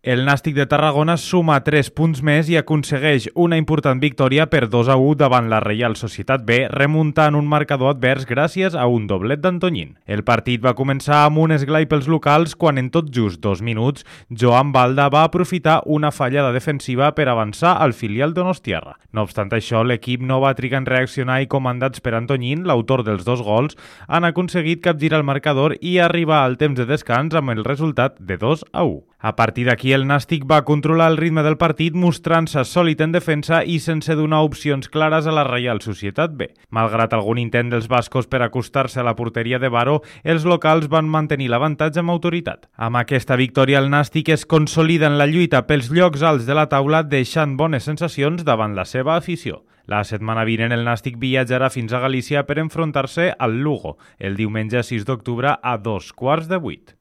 El Nàstic de Tarragona suma 3 punts més i aconsegueix una important victòria per 2-1 davant la Reial Societat B, remuntant un marcador advers gràcies a un doblet d'Antoñín. El partit va començar amb un esglai pels locals quan en tot just 2 minuts Joan Balda va aprofitar una fallada defensiva per avançar al filial donostiarra. No obstant això, l'equip no va trigar en reaccionar i comandats per Antoñín, l'autor dels 2 gols, han aconseguit capgirar el marcador i arribar al temps de descans amb el resultat de 2-1. A partir d'aquí, el Nàstic va controlar el ritme del partit mostrant-se sòlid en defensa i sense donar opcions clares a la Reial Societat B. Malgrat algun intent dels bascos per acostar-se a la porteria de Baró, els locals van mantenir l'avantatge amb autoritat. Amb aquesta victòria, el Nàstic es consolida en la lluita pels llocs alts de la taula, deixant bones sensacions davant la seva afició. La setmana vinent el Nàstic viatjarà fins a Galícia per enfrontar-se al Lugo el diumenge 6 d'octubre a 7:15.